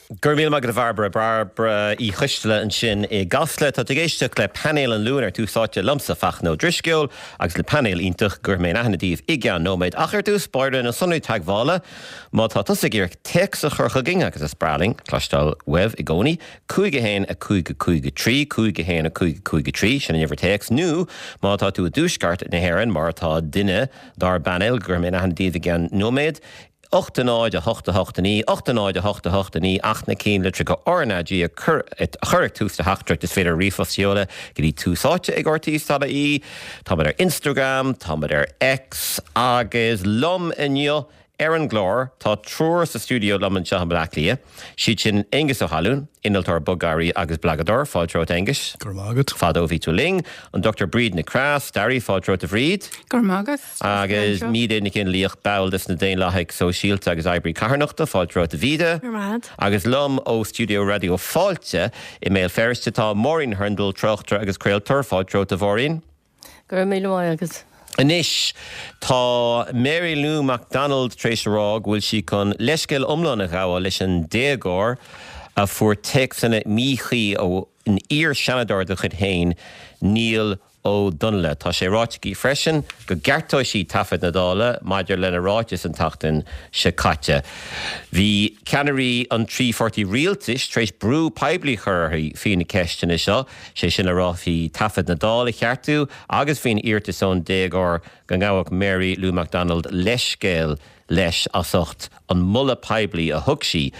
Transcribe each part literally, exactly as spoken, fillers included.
Gur míle maith agat a Bhairbre Bairbre Uí Choisteala ansin i gCasla tá ag éisteacht le painéal an Luain ar Tús Áite liomsa Fachtna Ó Drisceoil agus le painéal iontach gur mé aithne daoibh i gceann nóiméad ach ar dtús báire na sonraí teagmhála má tá tusa ag iarraidh téacs a chur chugainn agus is breá linn cloisteáil uaibh i gcónaí cúig a haon a cúig a cúig a trí cúig a haon a cúig a cúig a trí sin an uimhir téacs nó má tá tú i dtuaisceart na hÉireann mar atá duine dár bpainéal gur mé aithne daoibh i gceann nóiméad. ocht a náid a hocht a hocht a naoi, ocht a náid a hocht a hocht a naoi ach na cinn litreacha RnaG a chur ag tús do theachtaireacht is féidir ríomhphost a sheoladh go dtí tús áite ag RTÉ dot ie, Táimid ar Instagram, Táimid ar X agus liom inniu ar an gclár tá triúr sa stiúideo liom anseo i mBaile Átha Cliath. Siad sin Aengus Ó hAlúin, innealtóir bogearraí agus blagadóir fáilte romhat Aengus. Gur mágad. Fadó bhí tú linn, an Dr Bríd Nic Craith, staraí fáilte romhat a Bhríd. Gur mágad. Agus Míde Nic Fhionnlaoich ball de na Daonlathaigh Sóisialta agus oibrí carthanachta fáilte romhat a Mhíde. Agus liom ó stiúideo Raidió Fáilte i mBéal Feirste tá Máirín Hurndall tráchtaire agus craoltóir fáilte romhat a Mháirín. Gur míle agus. Anois tá Mary Lou McDonald tar éis rá go bhfuil sí chun leithscéal iomlán a ghabháil leis an déagóir a fuair téacsanna míchuí ó an iar-Seanadóir de chuid féin Niall Ó Donnaile. Tá sé ráite aici freisin go gceartóidh sí taifead na Dála maidir lena ráiteas an tseachtain seo caite. Bhí ceannairí an trí pháirtí rialtais tar éis brú poiblí a chur uirthi faoi na ceisteanna seo, sé sin le rá faoi taifead na Dála a cheartú agus faoin iarratas ón déagóir go ngabhfadh Mary Lou McDonald leithscéal leis as ucht an moladh poiblí a thug sí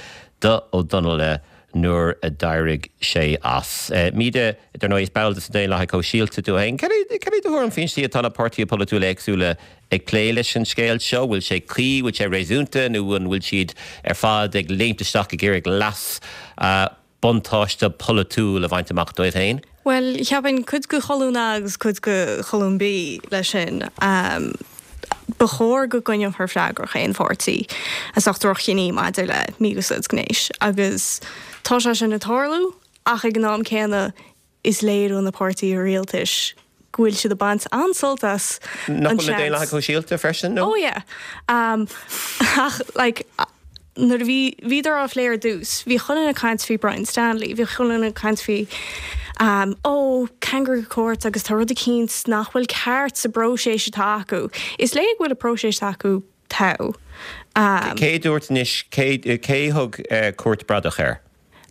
do Ó Donnaile nuair a d'éirigh sé as. Míde dar ndóigh is ball de na Daonlathaigh Shóisialta tú féin. Cad é do thuairim faoin tslí atá na páirtithe polaitiúla éagsúla ag plé leis an scéal seo, bhfuil sé cuí, bhfuil sé réasúnta nó an bhfuil siad ar fad ag léimt isteach ag iarraidh leas buntáiste polaitiúil a bhaint amach dóibh féin? Well, cheapfainn cuid de cholún A agus cuid de cholún B leis sin. Um, Ba chóir go gcoinneofar freagrach aon pháirtí as ucht droch-chinní maidir le mí-úsáid gnéis agus tá sé sin ag tarlú ach ag an am céanna is léir ó na páirtithe rialtais go bhfuil siad ag baint an-sult as Nach bhfuil na Daonlathaigh Shóisialta freisin nó? Oh yeah. Um, ach like nuair a bhí bhíodar á phlé ar dtús, bhí chuile dhuine ag caint faoi Brian Stanley, bhí chuile dhuine ag caint faoi um, ó kangaroo court agus tá rud eicínt nach bhfuil ceart sa bpróiseas atá acu. Is léir go bhfuil an próiseas acu togha. Um, Cé dúirt anois cé cé thug uh, cúirt bradach air?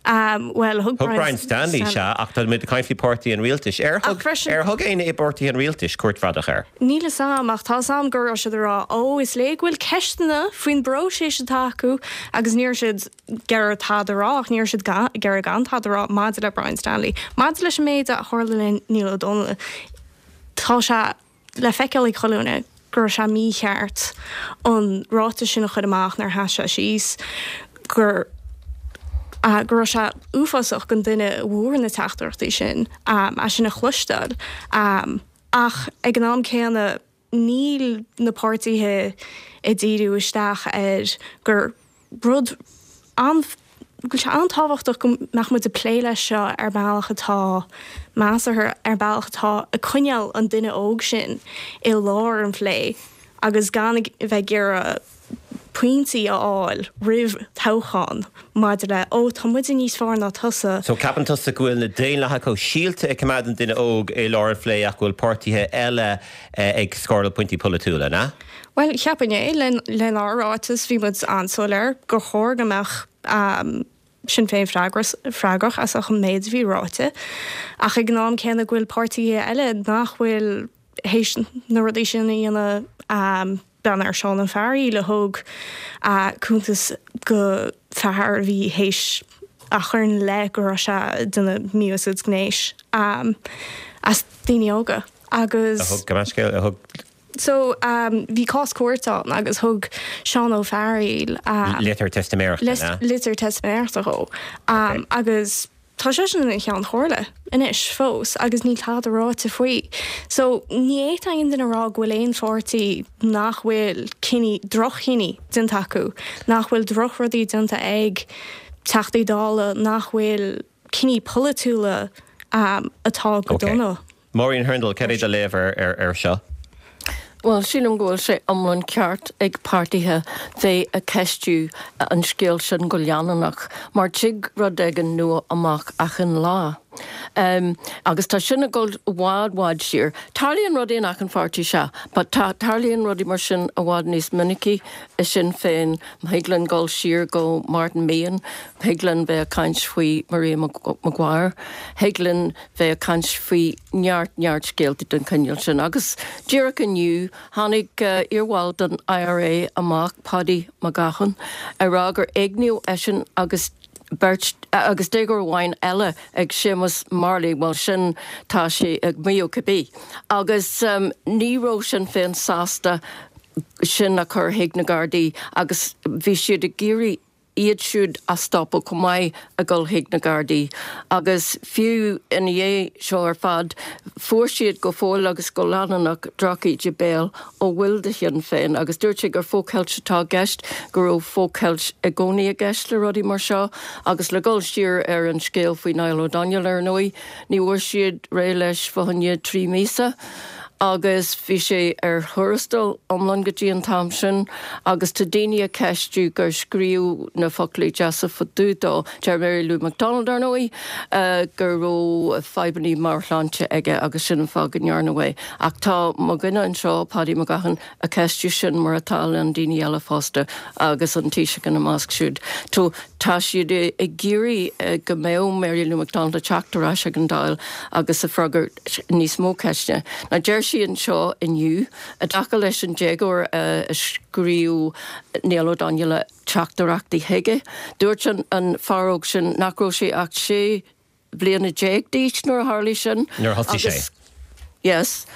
um, well, thug Thug Brian Stanley se ach tá muid ag caint faoi pháirtí an rialtais. Ar Ach thug freisin- ar thug aon i bpáirtí an rialtais cúirt bhradach air. Níl a fhios agam ach tá a fhios agam go raibh siad ag rá ó is léir go bhfuil ceisteanna faoin bpróiseas atá acu agus ní raibh siad ag iarraidh tada a rá ach ní raibh siad ag iarraidh gan tada a rá maidir le Brian Stanley. Maidir leis an méid a tharla le Niall Ó Donnaile tá sé le feiceáil ag chuile dhuine go raibh sé mícheart an ráiteas sin a chur amach nuair a sheas sé síos gur uh, go raibh sé uafásach don duine a bhfuair na teachtaireachtaí sin um, é sin a chloisteáil. Um, ach ag an am céanna níl na páirtithe ag díriú isteach ar gur rud an go bhfuil sé an-tábhachtach go mbeadh muid ag plé leis seo ar bealach atá measartha ar bealach atá ag coinneáil an duine óg sin i lár an phlé agus gan a bheith ag iarraidh pointí a fháil roimh toghchán maidir le ó tá muid níos fearr ná tusa. So ceapann tusa go bhfuil na Daonlathaigh Shóisialta ag coimeád an duine óg i lár an phlé ach go bhfuil páirtithe eile eh, ag scóráil pointí polaitiúla, na? Well cheapfainn é lenár ráiteas bhí muid an-soiléir gur chóir go mbeadh um, Sinn Féin freagrach as an méid a bhí ráite ach ag an am céanna go bhfuil páirtithe eile nach bhfuil théis na rudaí sin a dhéanamh um, bean ar Seán Ó Fearghaíl a thug uh, cuntas go fear a bhí théis a chur ina leith go raibh sé ag déanamh mí-úsáid gnéis um, as daoine óga agus A thug go scéal a thug So um, bhí cás cúirte ann agus thug Seán Ó Fearghaíl um, litir teistiméireachta na? litir teistiméireachta dhó um, agus tá sé sin ina cheann comhairle anois fós agus níl tada ráite faoi. So ní fhéadfadh aon duine a rá go bhfuil aon pháirtí nach bhfuil cinní droch-chinní déanta acu, nach bhfuil drochrudaí déanta ag Teachtaí Dála nach bhfuil cinní polaitiúla um, atá go Okay. dona. Maureen Hurndall, cad é do léamh ar ar ar seo? Bhuel, sílim go bhfuil sé iomlán ceart ag páirtithe bheith ag ceistiú an scéal sin go leanúnach, mar tig rud éigin nua amach achan lá. Um, agus tá sin ag dul i bhfad bhfad siar. Tarlaíonn rudaí in achan pháirtí sea, but tá tarlaíonn rudaí mar sin i bhfad níos minicí i Sinn Féin, thig linn dul siar go Martin Meehan, thig linn bheith ag caint faoi Maria Maguire, thig linn bheith ag caint faoi neart neart scéalta den chineál sin. Agus díreach inniu tháinig uh, iarbhall den IRA amach Paddy McGahan ag rá gur éigníodh eisean agus beirt agus déagóir amháin eile ag Séamus Marley well sin tá sé ag maíomh cibé. Agus um, ní raibh Sinn Féin sásta sin a chur chuig na Gardaí agus bhí siad ag iarraidh iad siúd a stopadh chomh maith ag dul chuig na Gardaí. Agus fiú ina dhiaidh seo ar fad fuair siad go fóill agus go leanúnach drochíde béil ó bhaill de Shinn Féin, agus dúirt sé gur focheilt atá i gceist go raibh focheilt i gcónaí i gceist le rudaí mar seo, agus le dul siar ar an scéal faoi Niall O'Donnell ar ndóigh, ní bhfuair siad réidh leis fá choinne trí míosa. agus bhí sé ar thuarastal iomlán go dtí an t-am sin agus tá daoine ag ceistiú gur scríobh na foclaí deasa fá dtaobh dó deir Mary Lou McDonald ar ndóigh uh, go raibh fadhbanna meabhairshláinte aige agus sin an fáth go ndearnadh é. Ach tá mo dhuine anseo Paddy McGahan ag ceistiú sin mar atá na daoine eile fosta agus an Taoiseach ina measc siúd. Tó tá siad ag iarraidh go mbeadh Mary Lou McDonald ag teacht ar ais ag an Dáil agus ag freagairt níos mó ceisteanna. Now deir sí anseo inniu i dtaca leis an déagóir a scríobh Niall O'Donnell teachtaireachtaí chuige. Dúirt an, an fear óg sin nach raibh sé ach sé bliana déag d'aois nuair a tharla sin. Nuair a thosaigh sé. Yes,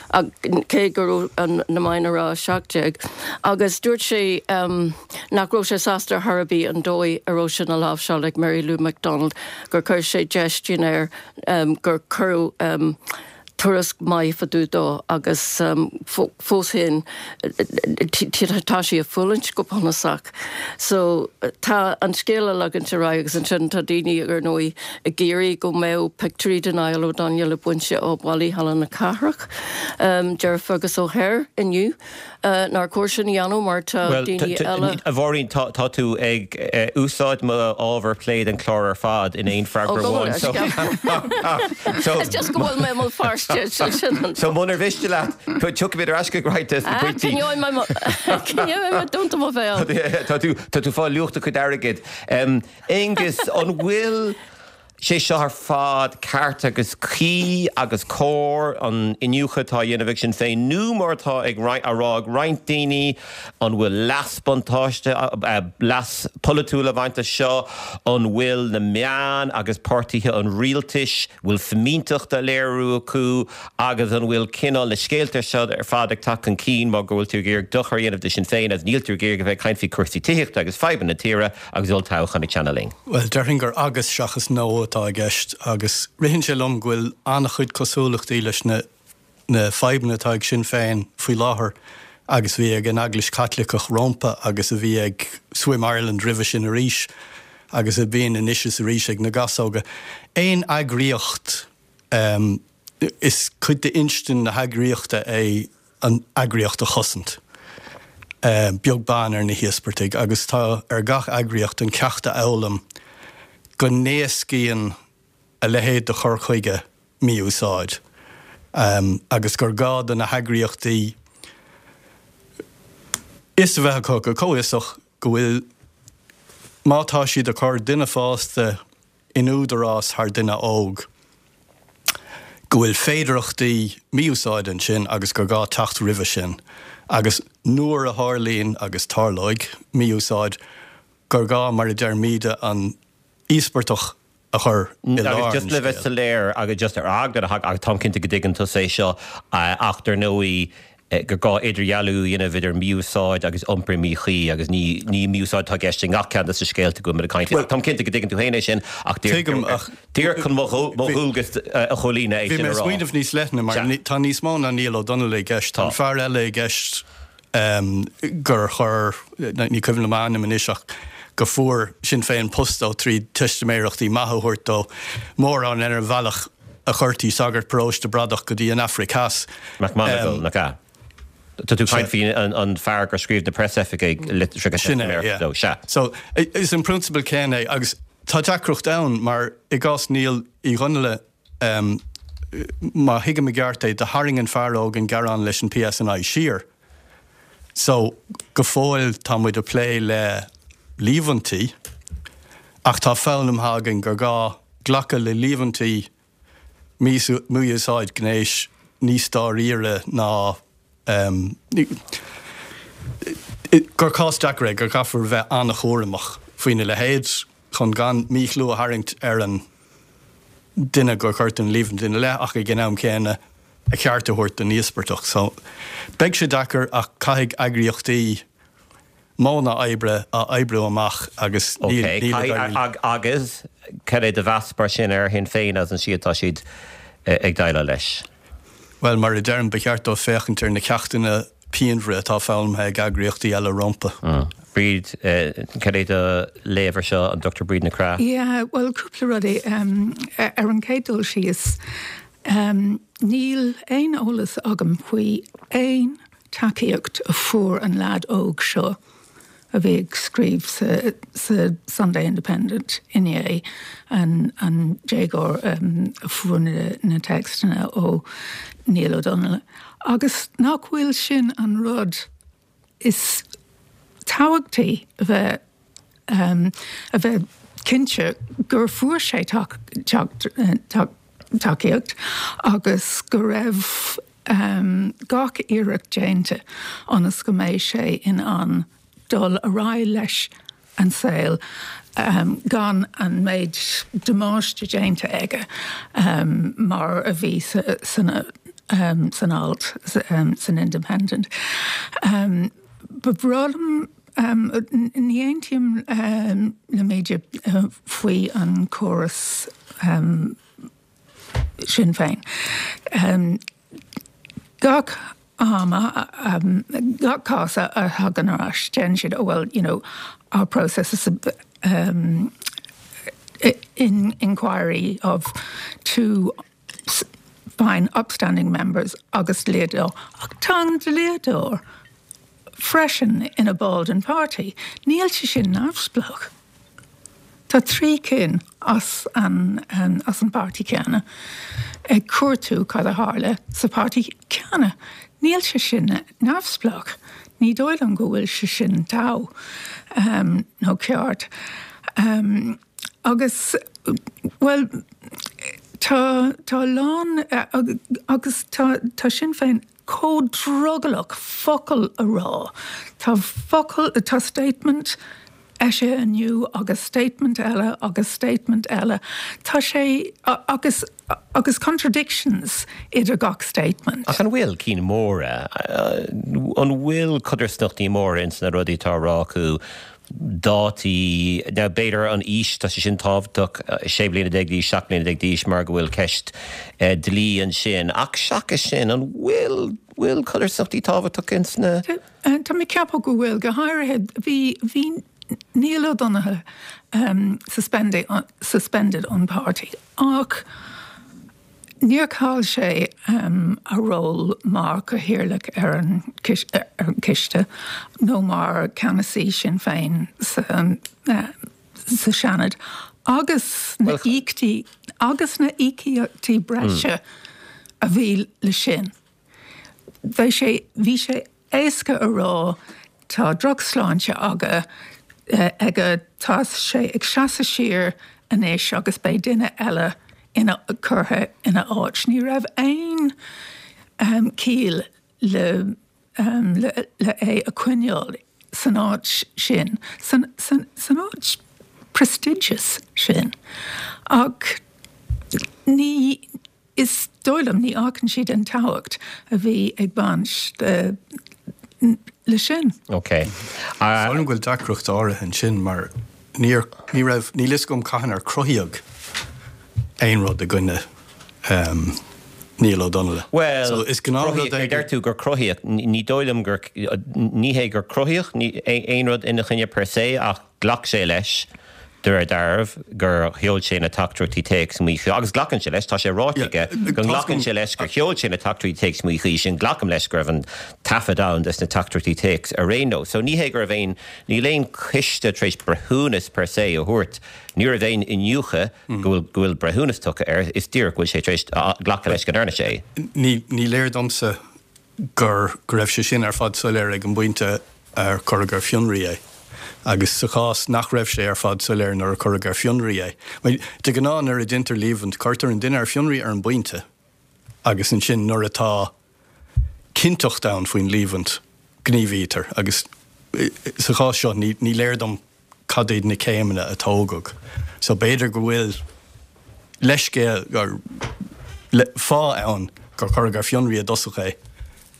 cé go raibh na meáin ag rá seacht déag. Agus dúirt sé um, nach raibh sé sásta ar chor ar bith an dóigh a raibh sin á láimhseáil ag Mary Lou McDonald gur chuir sé déistin air um, gur cuireadh um, tuairisc maith fá dtaobh dó agus um, fós féin tá sé ag fulaingt go bunúsach. So tá an scéal ag leanúint ar aghaidh agus ansin tá daoine ar ndóigh ag iarraidh go mbeadh pictiúirí de Niall O'Donnell bainte ó bhallaí Halla na Cathrach. Um, Deir Fergus O'Hare inniu uh, nár chóir sin a dhéanamh mar tá daoine eile. A Mháirín tá tú ag uh, úsáid mo ábhar plé den chlár ar fad in aon freagra amháin. So just go bhfuil mé mo feirste. So munar mhiste leat tiocfaimid ar ais go right dúnta mo bhéal. Tá tú tá tú fá luach do chuid airgid. Aengus an bhfuil sé seo ar fad ceart agus cuí agus cóir an iniúchadh atá á dhéanamh ag Sinn Féin nó mar atá ag á rá ag roinnt daoine an bhfuil leas buntáiste leas polaitiúil ag baint as seo an bhfuil na meáin agus páirtithe an rialtais bhfuil fimínteacht á léiriú acu agus an bhfuil cineál na scéalta seo ar fad ag teacht chun cinn mar go bhfuil tú ag iarraidh dochar a dhéanamh do Sinn Féin as níl tú ag iarraidh a bheith ag caint faoi chúrsaí tithíochta agus fadhbanna na tíre agus olltoghchán ag teannadh linn. Well déarfainn gur agus seachas nó atá i gceist agus ritheann sé liom go bhfuil an-chuid cosúlachtaí leis na na fadhbanna atá ag Sinn Féin faoi láthair agus bhí ag an Eaglais Chaitliceach rompu agus a bhí ag Swim Ireland roimhe sin arís agus a bhíonn anois is arís ag na Gasóga. Aon eagraíocht um, is cuid d'instinn na heagraíochta é an eagraíocht a chosaint. Um, beag beann ar na híospartaigh agus tá ar gach eagraíocht an ceacht a fhoghlaim go n-éascaíonn a leithéid de chur chuige mí-úsáid. Um, agus gur gá do na heagraíochtaí is a bheith acu go comhfhiosach go bhfuil má tá siad ag cur duine fásta in údarás thar duine óg. Go bhfuil féidearthachtaí mí-úsáid ansin agus gur gá teacht roimhe sin, agus nuair a tharlaíonn agus tarlóidh mí-úsáid gur gá mar a deir Míde an íospartach a chur i lár Agus just le bheith soiléir agus just ar eagla agus táim cinnte go dtuigeann tú é seo ach dar ndóigh gur gá idirdhealú a dhéanamh idir mí-úsáid agus iompar míchuí agus ní ní mí-úsáid atá i gceist i ngach ceann de na scéalta go bhfuil muid ag caint. Táim cinnte go dtuigeann tú féin é sin ach Tuigim ach díreach chun mo dhualgas a chomhlíonadh é Bhí sin mé a rá. smaoineamh níos leithne mar Sea. ní- tá níos mó ná Niall O'Donnell i gceist. Tá Tá. fear eile i gceist um, gur chuir ní cuimhin liom a ainm anois ach go fuair Sinn Féin post dó trí teistiméireachtaí maithe a thabhairt dó mórán ar an bhealach a chuirtí sagart paróiste bradach go dtí an Afraic Theas. McMonagle, nach ea? Tá tú caint faoi an fear gur scríobh na preasoifigigh litreacha teistiméireachta dó, sea. So, is an prionsabal céanna é agus tá deacracht ann mar i gcás Niall Uí Dhonnaile, má thuigim i gceart é, do tharraing an fear óg an gearán leis an PSNI siar. So, go fóill tá muid ag plé le líomhaintí ach tá foghlamtha againn gur gá glacadh le líomhaintí mí-úsáid gnéis níos dáiríre ná gur cás deacair é, gur caithfear bheith an-chúramach faoina leithéid chun gan míchlú a tharraingt ar an duine gur cuireadh an líomhaint ina leith ach ag an am céanna a cheart a thabhairt don íospartach. So, beidh sé deacair ach caithfidh eagraíochtaí modhanna oibre a oibriú amach agus níl ag éirí. Agus cad é do mheas mar sin ar Shinn Féin as an tslí atá siad ag déileáil leis? Bhuel, mar a deirim, ba cheart dóibh féachaint ar na ceachtanna pianmhara atá foghlamtha ag eagraíochtaí eile rompu. Bríd, cad é do léamh ar seo, an Dochtúir Bríd Nic Craith? Yeah, bhuel, cúpla rudaí. Ar an gcéad dul síos, níl aon eolas agam faoi aon tacaíocht a fuair an leaid óg seo a bhí ag scríobh sa sa Sunday Independent inné, an an déagóir a fuair na na téacsanna ó Niall Ó Donnaile. Agus nach bhfuil sin an rud is tábhachtaí a bheith a bheith cinnte gur fuair sé tacaíocht agus go raibh gach iarracht déanta ionas go mbeidh sé in ann dul ar aghaidh leis an saol gan an méid damáiste déanta aige mar a bhí san alt san Independent. Ba bhreá liom, ní aontaím le Míde faoi an córas Sinn Féin. Gach am, gach cás a thagann ar ais, deireann siad, oh well, you know, our process is um, in inquiry of two fine upstanding members agus dlíodóir. Ach tá an dlíodóir freisin ina ball den pháirtí. Níl sé sin neamhspleách. Tá trí cinn as an as an bpáirtí céanna ag cuartú cad a tharla sa pháirtí céanna. Níl sé sin neamhspleách. Ní dóigh liom go bhfuil sé sin togha nó ceart. Agus, bhuel, tá tá a lán agus tá tá Sinn Féin chomh drogallach focal a rá. Tá focal, tá statement eisithe inniu agus statement eile agus statement eile. Tá sé agus agus contradictions idir gach statement. Ach an bhfuil cinn móra? An bhfuil codarsnachtaí móra ins na rudaí atá á rá acu? Dátaí, now b'fhéidir an aois, tá sé sin tábhachtach, sé bliana déag d'aois, seacht mbliana déag d'aois mar go bhfuil ceist dlí ansin. Ach seachas sin, an bhfuil, bhfuil codarsnachtaí tábhachtach ins na. Tá mé ag ceapadh go bhfuil, go háirithe bhí, bhí Niall Ó Donnaile suspended, suspended ón páirtí ach níor chaill sé a ról mar chathaoirleach ar an ciste nó mar ceannasaí Sinn Féin sa sa Seanad agus na íocaíochtaí agus na íocaíochtaí breise a bhí le sin. Bhí sé bhí sé éasca a rá tá drochshláinte aige aige tá sé ag seasamh siar anois agus beidh duine eile ina curtha ina áit. Ní raibh aon ciall le le le é a choinneáil san áit sin, san san san áit prestigious sin. Ach ní is dóigh liom ní fhágann siad an tábhacht a bhí ag baint le sin. Ok. Sílim go bhfuil deacracht áirithe ansin mar níor, ní raibh, níl fhios agam cathain ar cruthaíodh aon rud i gcoinne Niall Ó Donnaile. Bhuel, So is gnáthrud é deir tú gur cruthaíodh, ní dóigh liom gur, ní hé gur cruthaíodh aon rud ina choinne per se ach ghlac sé leis de réir dealraimh gur sheol sé na teachtaireachtaí téacs míchuí agus glacann sé leis, tá sé ráite aige go nglacann sé leis gur sheol sé na teachtaireachtaí téacs míchuí sin, glacaim leis go raibh an taifead ann des na teachtaireachtaí téacs ar aon nós. So ní hé go raibh aon, níl aon choiste tar éis breithiúnas per se a thabhairt, ní raibh aon iniúchadh go bhfuil go bhfuil breithiúnas tugtha air, is díreach go bhfuil sé tar éis glacadh leis go ndearna sé é. Ní ní léir domsa gur go raibh sé sin ar fad soiléir ag an bpointe ar cuireadh ar fionraí é. Agus sa chás nach raibh sé ar fad soiléir nuair a cuireadh ar fionraí é. De ghnáth nuair a deintear líomhaint, cuirtear an duine ar fionraí ar an bpointe agus ansin nuair atá cinnteacht ann faoin líomhaint, gníomhaítear. Agus sa chás seo ní ní léir dom cad iad na céimeanna a tógadh. So b'fhéidir go bhfuil leithscéal or fáth ann gur cuireadh ar fionraí i dtosach é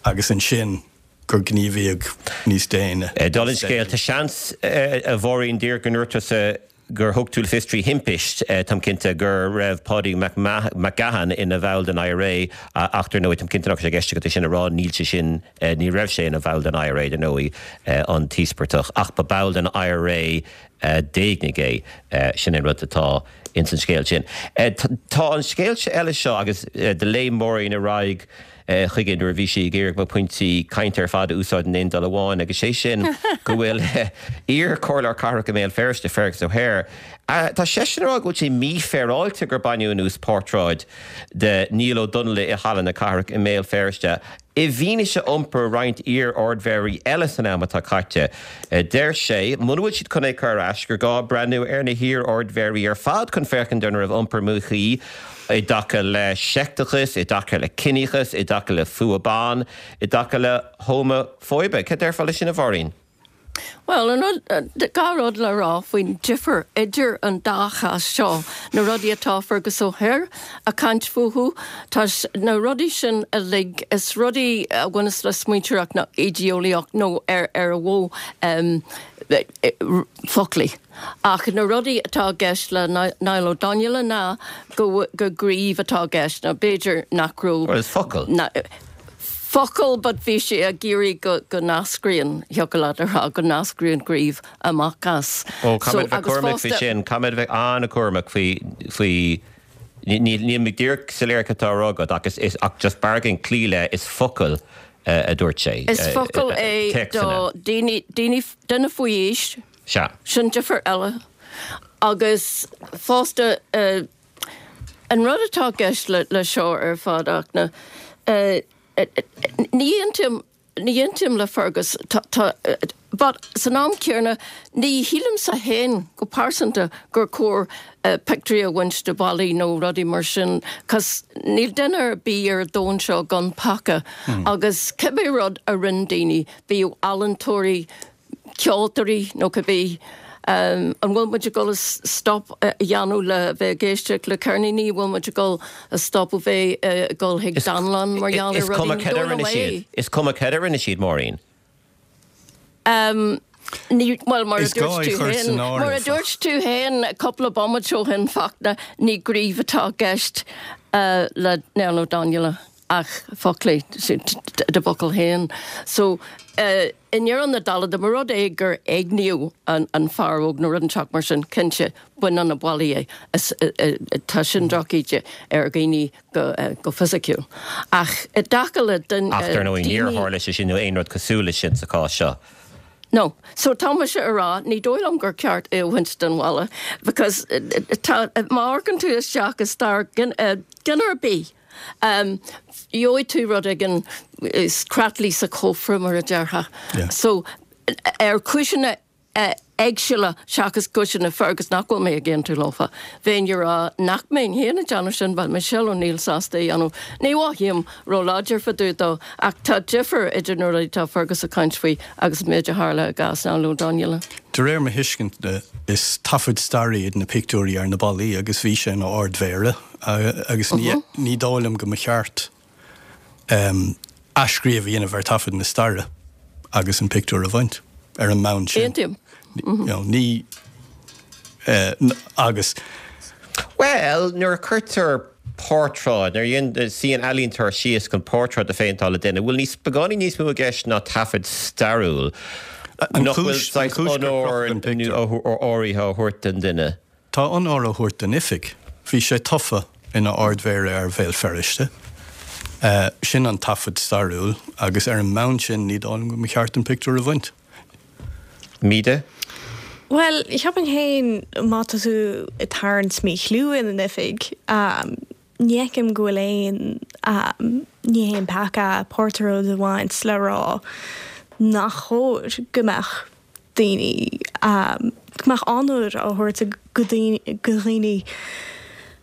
agus ansin gur gníomhaíodh níos déine. Dála an scéil, tá seans, a Mháirín, díreach go ndúirt tusa gur thug tú le fios trí thimpist, táim cinnte, go raibh Páidí Mac Gahan ina bhall den IRA ach dar ndóigh, táim cinnte nach raibh sé i gceist agat é sin a rá, níl sé sin, ní raibh sé ina bhall den IRA dar ndóigh, an t-íospartach, ach ba ball den IRA d'éignigh é. Sin an rud atá ins an scéal sin. Tá an scéal eile seo agus do léim Máirín ar aghaidh chuige nuair a bhí sí ag iarraidh mo phointí cainte ar fad a úsáid in aon dul amháin agus sé sin go bhfuil iar-chomhairleoir cathrach i mBéal Feirste, Fergus O'Hare, tá seisean ag rá go bhfuil sé mífhéaráilte gur baineadh anuas portráid de Niall Ó Donnghaile i Halla na Cathrach i mBéal Feirste i bhfianaise iompar roinnt iar-ardmhéaraí eile san am atá caite. Deir sé, muna bhfuil siad chun é cur ar ais, gur gá breathnú ar na hiar-ardmhéaraí ar fad chun féachaint an raibh iompar míchuí i dtaca le seicteachas, i dtaca le ciníochas, i dtaca le fuath ban, i dtaca le homafóibe. Cad déarfá leis sin, a Mháirín? Bhuel, an rud, dhá rud le rá faoin difear idir an dá chás seo, na rudaí atá Fergus O'Hare a' caint fúthu, tá na rudaí sin uilig, is rudaí a bhaineas le smaointeoireacht nó idé-eolaíocht nó ar ar a mhodh foclaí. Ach na rudaí atá i gceist le Niall Ó Donnghaile ná go gur gníomh atá i gceist, nó b'fhéidir nach raibh. Bhuel, is focal. Focal but bhí sé ag iarraidh go go n-eascraíonn, thiocfadh leat a rá, go n-eascraíonn gníomh amach as. Ó, caithfidh muid bheith cúramach faoi sin, caithfidh muid bheith an-chúramach faoi, faoi, níl, níl mé díreach soiléir cad tá á rá agat ach is, is, ach just b'fhearr againn cloí le is focal a dúirt sé. Is focal é do daoine, daoine, duine faoi aois. Sea. Sin difear eile. Agus fosta, an rud atá i gceist le seo ar fad ach na, ní aontaím, ní aontaím le Fergus, tá, tá, but san am céanna ní shílimse féin go pearsanta gur chóir pictiúirí a bhaint de ballaí nó rudaí mar sin 'cause níl duine ar bith ar an domhan seo gan peaca agus cibé rud a rinne daoine, bíodh ealaíontóirí, ceoltóirí nó cibé, an bhfuil muid ag dul a stop a dhéanamh le bheith ag éisteacht le ceirníní, an bhfuil muid ag dul a stop a bheith ag dul chuig dánlann mar gheall ar Is cuma rudaí? cad a rinne siad, is cuma cad a rinne siad, Máirín. Ní, bhuel, mar a Is gá dúirt é tú chur féin, san mar a áireamh. dúirt tú féin cúpla bomaite ó shin, Fachtna, ní gníomh atá i gceist le Niall Ó Donnghaile ach foclaí, do bhfocal féin. So, i ndeireadh na dála, dá mba rud é gur éigníodh an fear óg nó rud inteacht mar sin, cinnte, bain de na ballaí é. Is, tá sin drochíde ar dhaoine go, go fisiciúil. Ach i dtaca le Ach dar ndóigh, níor daoine. tharla sé sin nó aon rud cosúil leis sin sa chás seo. No. So tá mise a rá, ní dóigh liom gur ceart é a bhaint den bhalla because tá, má amharcann tú isteach i stair duine ar bith, gheobhaidh tú rud éigin, creatlaí sa chófra mar a déarfá. So ar chúiseanna éagsúla seachas cúiseanna Fergus nach bhfuil mé ag aontú leofa. Bheinn ag rá nach mbeinn féin ag déanamh sin, bheadh Michelle O'Neill sásta é a dhéanamh. Ní mhothaím róláidir fá dtaobh dó, ach tá difear idir na rudaí atá Fergus ag caint faoi agus an méid a tharla i gcás Niall Ó Donnghaile. De réir mo thuiscinte, is taifid staire iad na pictiúirí ar na ballaí agus bhí sé ina Ard-Mhéara agus ní dóigh liom go mba cheart athscríobh a dhéanamh ar taifead na staire agus an pictiúr a bhaint ar an mbonn sin. Aontaím. You know, ní agus. Bhuel, nuair a chuirtear portráid, nuair a suíonn ealaíontóir síos chun portráid a phéinteáil de dhuine, bhfuil níos, beagáinín níos mó i gceist ná taifead stairiúil. Nach bhfuil saghas onóir áirithe á thabhairt don duine. Tá onóir á thabhairt don oifig. Bhí sé tofa ina Ard-Mhéara ar Bhéal Feirste. Sin an taifead stairiúil agus ar an mbonn sin ní dóigh liom go mba cheart an pictiúr a bhaint. Míde? Bhuel, cheapfainn féin má tá tú ag tarraingt míchlú ina n-oifig, ní fheicim go bhfuil aon, ní haon peaca portráid a bhaint le rá nach chóir go mbeadh daoine, go mbeadh onóir á thabhairt go dhaoine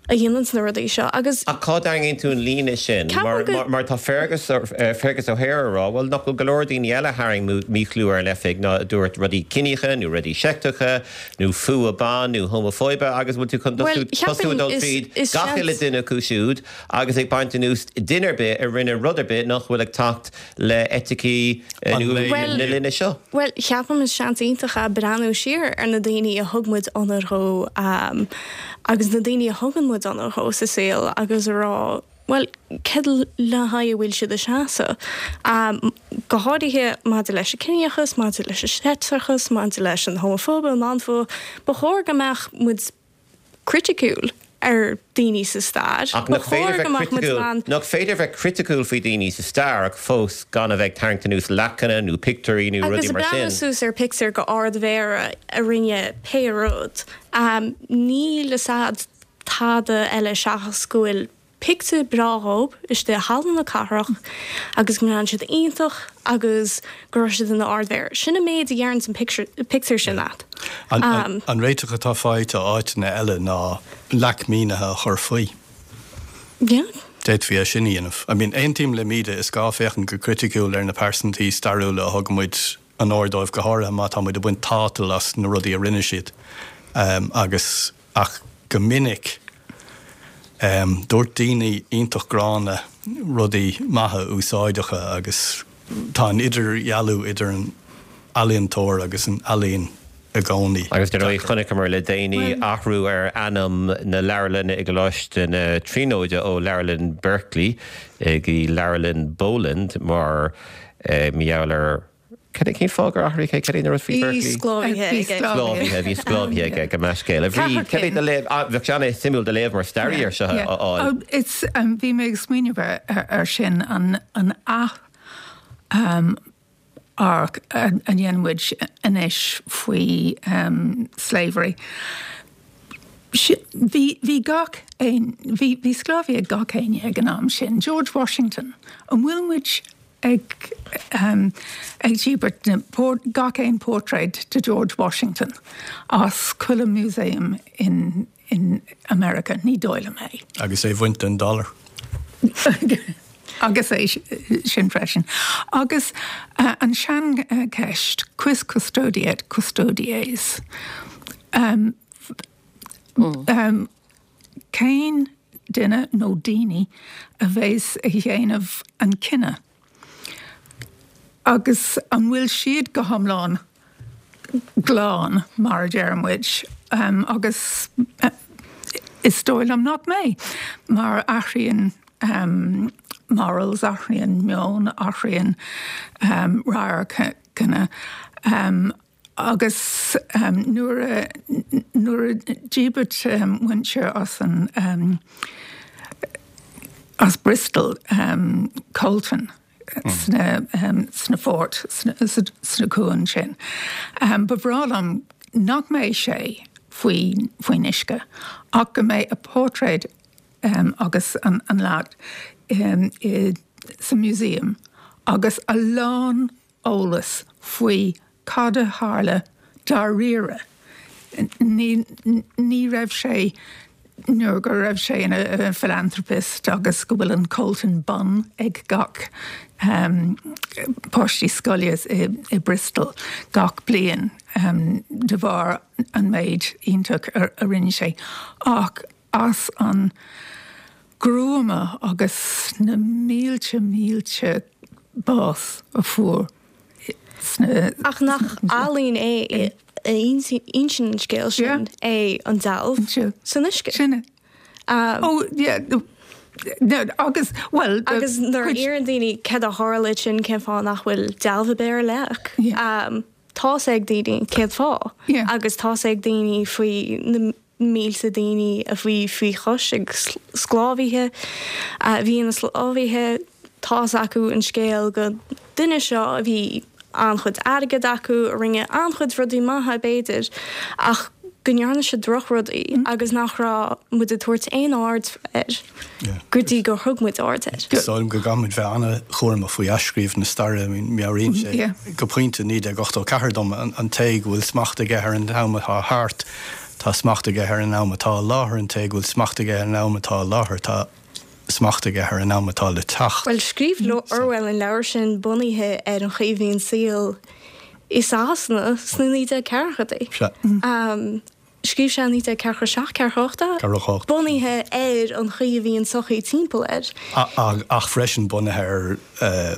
a dhéananns na rudaí seo agus. Ach cá dtarraingíonn tú an líne sin? Mar mar tá Fergus Fergus O'Hare ag rá, bhuel nach bhfuil go leor daoine eile a tharraing míchlú ar an oifig ná a dúirt rudaí ciníocha nó rudaí seicteacha nó fuath ban nó homafóibe agus bhfuil tú chun tosú ag dul tríd gach uile duine acu siúd agus ag baint anuas duine ar bith a rinne rud ar bith nach bhfuil ag teacht le eiticí na linne seo? Bhuel, ceapaim is seans iontach é breathnú siar ar na daoine a thug muid onóir dhó agus na daoine a thugann muid onóir dhó sa saol agus a rá, bhuel, céard le haghaidh a bhfuil siad ag seasamh? Go háirithe maidir leis an ciníochas, maidir leis an seicteachas, maidir leis an homafóibe, an anfuath, ba chóir go mbeadh muid criticiúil ar daoine sa stair. Ach nach féidir bheith criticiúil, nach féidir bheith criticiúil faoi daoine sa stair ach fós gan a bheith ag tarraingt anuas leacanna nó pictiúirí nó rudaí mar sin. Agus ag breathnú suas ar pictiúr go Ard-Mhéara a rinne pé rud, níl fhios a'd tada eile seachas go bhfuil pictiúr breá dhób istigh i Halla na Cathrach agus go mbreathnaíonn siad iontach agus go raibh siad ina Ard-Mhéara. Sin an méid a dheireanns an pictiúr sin leat. An réiteach atá faighte áiteanna eile ná leac mínithe a chur faoi. Yeah. D'fhéadfaí é sin a dhéanamh. I mean, aontaím le Míde, is gá féachaint go criticiúil ar na pearsantaí stairiúla a thugann muid onóir dóibh, go háirithe má tá muid ag baint tátal as na rudaí a rinne siad. Agus, ach go minic, dúirt daoine iontach gránna rudaí maithe úsáideacha agus tá an idirdhealú idir an ealaíontóir agus an ealaín i gcónaí. Agus dar ndóigh chonaiceamar le déanaí athrú ar ainm na leabharlainne i gColáiste na Tríonóide ó Leabharlann Berkeley go Leabharlann Boland mar gheall ar Cad é cén fáth gur athraíodh é? Cad é an rud faoi Berkeley? Bhí sclábhaithe aige. Sclábhaithe, bhí sclábhaithe aige, gabh mo leithscéal. A Bhríd, cad é do léamh, bheadh sé an-suimiúil do léamh mar staraí ar seo a fháil. It's, bhí mé ag smaoineamh ar sin, an an ath amharc a dhéanann muid anois faoi slavery. Bhí, bhí gach aon, bhí, bhí sclábhaithe ag gach éinne ag an am sin. George Washington, an bhfuil muid ag ag díbirt gach aon portrait de George Washington as chuile museum in in America, ní dóigh liom é. Agus é bhaint den dollar. Agus é sin freisin. Agus an seancheist, quis custodiet custodes? Um, um, cén duine nó daoine a bheas ag déanamh an cinneadh? Agus an bhfuil siad go hiomlán glan, mar a deir muid, agus is dóigh liom nach mbeidh, mar athraíonn morals, athraíonn meon, athraíonn radharcanna. Agus nuair a nuair a díbirt muintir as an as Bristol coltan sna sna fort sna cuain sin, ba bhreá liom nach mbeidh sé faoi faoin uisce ach go mbeidh a portrait agus an an leac i sa museum agus a lán eolas faoi cad a tharla dáiríre. Ní ní raibh sé nuair go raibh sé ina philanthropist agus go bhfuil an coltan bun ag gach páistí scoile i i Bristol gach bliain de bharr an méid iontach a a rinne sé ach as an gruama agus na mílte mílte bás a fuair sna. Ach nach ealaín é a insíonn an scéal sin é an dealbh san uisce? Sin é. Ó, yeah, agus, bhuel. Agus nuair a iarrann daoine céard a tharla sin, cén fáth nach bhfuil dealbh ar bith ar leac? Tá's ag daoine cén fáth agus tá's ag daoine faoi na mílte daoine a bhí faoi chois ag sclábhaithe a bhí ina sclábhaithe tá's acu an scéal go duine seo a bhí an-chuid airgead acu a rinne an-chuid rudaí maithe b'fhéidir ach go ndearna sé drochrudaí mm. agus nach raibh muid ag tabhairt aon aird air go dtí gur thug muid aird air. Sílim go gcaithfimid bheith an-chúramach faoi athscríobh na staire meabhraíonn sé go pointe naoi déag ochtó ceathair dom an té go bhfuil smacht aige ar an am atá thart tá smacht aige ar an am atá i láthair an té go bhfuil smacht aige ar an am atá i láthair tá smacht aige ar an am atá le teacht. Well scríobh Orwell an leabhar sin bunaithe ar an chaoi a bhí an saol i Sasana sna naoi déag ceathrachaidí. Um, Scríobh sé naoi déag ceathracha seacht ceathracha ocht bunaithe ar an chaoi a bhí an sochaí timpeall air. Ach freisin bunaithe ar uh,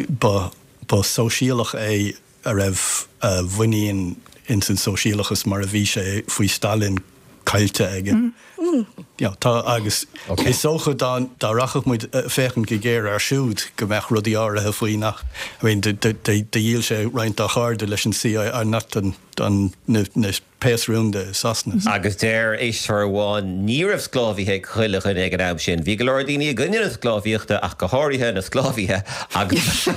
ba ba sóisialach é a raibh a mhuinín ins an sóisialachas mar a bhí sé faoi Stalin caillte aige. Mm. Mm. Ja, tá agus okay. is dócha dá dá rachadh muid féachaint go géar air siúd go mbeadh rudaí áirithe faoi nach I mean, dhíol sé roinnt dá chairde leis an CIA not an an na, na péas rúnda i Sasana. Agus deir éisteoir amháin ní raibh sclábhaithe ag chuile dhuine ag an am sin. Bhí go leor daoine i gcoinne na sclábhaíochta ach go háirithe na sclábhaithe agus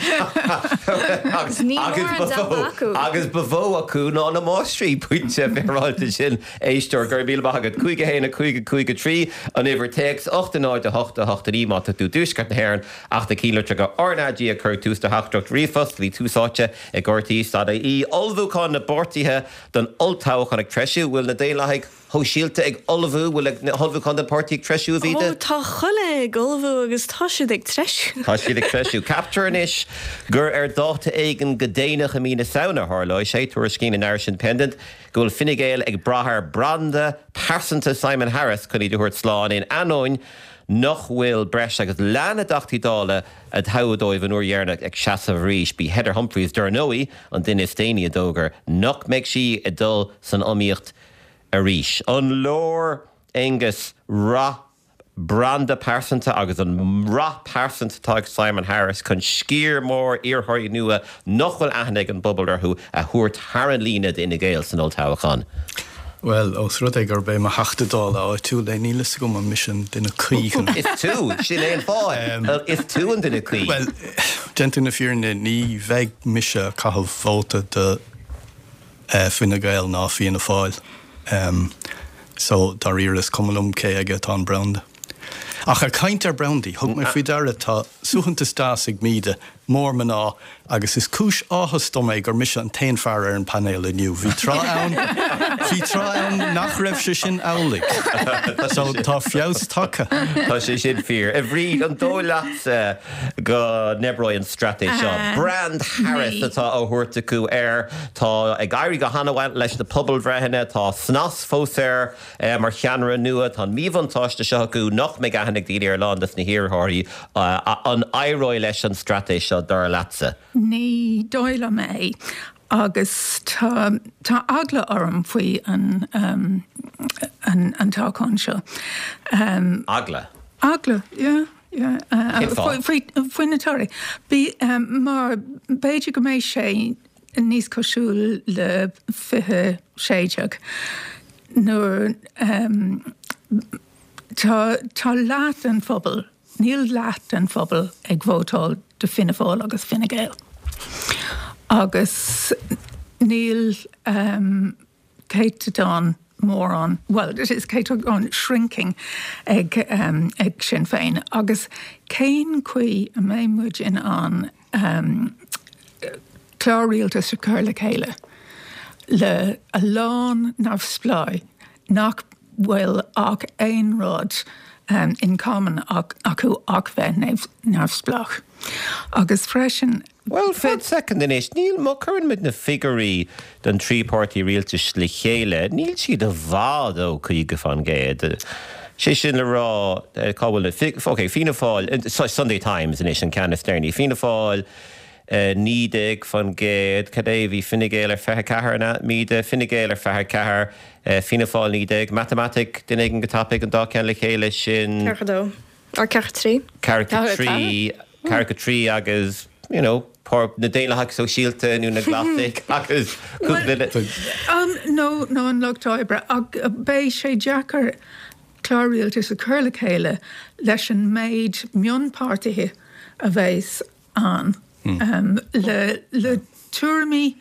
agus agus ba mhó acu ná na máistrí pointe féaráilte sin éisteoir go raibh míle maith agat cúig a haon a cúig a cúig a trí an uimhir téacs ocht a náid a hocht a hocht a naoi má tá tú i dtuaisceart na hÉireann ach na ceannlitreacha RnaG ag cur tús do theachtaireacht ríomhphost bhí Tús Áite ag RTÉ dot ie ullmhúchán na bpáirtithe don olltoghchán ag treisiú, bhfuil na Daonlathaigh Shóisialta ag ullmhú, bhfuil na hullmhúcháin don pháirtí ag treisiú, a Mhíde? Ó, tá chuile ag ullmhú agus tá siad ag treisiú. Tá siad ag treisiú. Ceaptar anois gur ar dáta éigin go déanach i mí na Samhna a tharlóidh sé, tuairiscíonn an Irish Independent go bhfuil Fine Gael ag brath ar branda pearsanta Simon Harris chun iad a thabhairt slán in ainneoin nach bhfuil breis agus leath na dTeachtaí Dála a toghadh dóibh an uair dheireanach ag seasamh arís. B'í Heather Humphreys, dar ndóigh, an duine is déanaí a d'fhógair nach mbeidh sí ag dul san iomaíocht arís. An leor, Aengus, rath branda pearsanta agus an rath pearsanta atá ag Simon Harris chun sciar mór iarrthóirí nua nach bhfuil aithne ag an bpobal orthu a thabhairt thar an líne d'Fhine Gael san olltoghchán? Bhuel, ós rud é gurb é mo Theachta Dála áitiúil é, níl fhios agam an mise an duine cuí chun. Is tú, sin é an fáth. Is tú an duine cuí. Bhuel, déanta na fírinne, ní bheidh mise ag caitheamh vóta do Fine Gael ná Fianna Fáil. So, dáiríre, is cuma liom cé aige atá an branda. Ach ag caint ar brandaí, thug mé faoi deara, tá suaitheantas deas ag Míde mór mná agus is cúis áthais dom é gur mise an t-aon fear ar an bpainéal inniu. Bhí tráth ann, bhí tráth ann nach raibh sé sin amhlaidh. So tá feabhas tagtha. Tá sé sin fíor. A Bhríd, an dóigh leatsa go n-oibreoidh an straitéis seo? Brand Harris atá á thabhairt acu air. Tá ag éirí go han-mhaith leis na pobalbhreitheanna. Tá snas fós air mar cheannaire nua. Tá an míbhuntáiste seo acu nach mbeidh aithne ag daoine ar a lán de na hiarrthóirí. An éireoidh leis an straitéis seo, dar leatsa? Ní dóigh liom é agus tá tá eagla orm faoi an an an toghchán seo. Eagla? Eagla, yeah, yeah. Cén fáth? Faoi faoi na torthaí. Bí mar b'fhéidir go mbeidh sé níos cosúil le fiche sé déag nuair Tá tá leath den phobal, níl leath den phobal ag vótáil do Fianna Fáil agus Fine Gael. Agus níl céatadán mórán, bhuel, is céatadán shrinking ag ag Sinn Féin. Agus cén chaoi a mbeidh muid in ann clár rialtais a chur le chéile le a lán neamhspleáigh nach bhfuil ach aon rud in common acu ach bheith neamhspleách. Agus freisin. Bhuel, fan soicind anois, níl, má chuireann muid na figiúirí don trí páirtí rialtais le chéile, níl siad i bhfad ó caoga faoin gcéad. Sé sin le rá, cá bhfuil na, ok, Fianna Fáil, Sunday Times anois an ceann is deireanaí, Fianna Fáil, naoi déag faoin gcéad, cad é, bhí Fine Gael ar fiche ceathair, an ea? Míde, Fine Gael ar fiche ceathair, Fianna Fáil naoi déag, Matamaitic, duine éigin go tapaidh, an dá ceann le chéile, sin. Ceathracha dó, or ceathracha trí. Ceathracha trí, ceathracha trí agus, you know, na Daonlathaigh Sóisialta nó na Glasaigh agus um, nó nó an Lucht Oibre ach beidh sé deacair clár rialtais a chur le chéile leis an méid mionpháirtithe a bheas ann mm. um, le, le tuairimí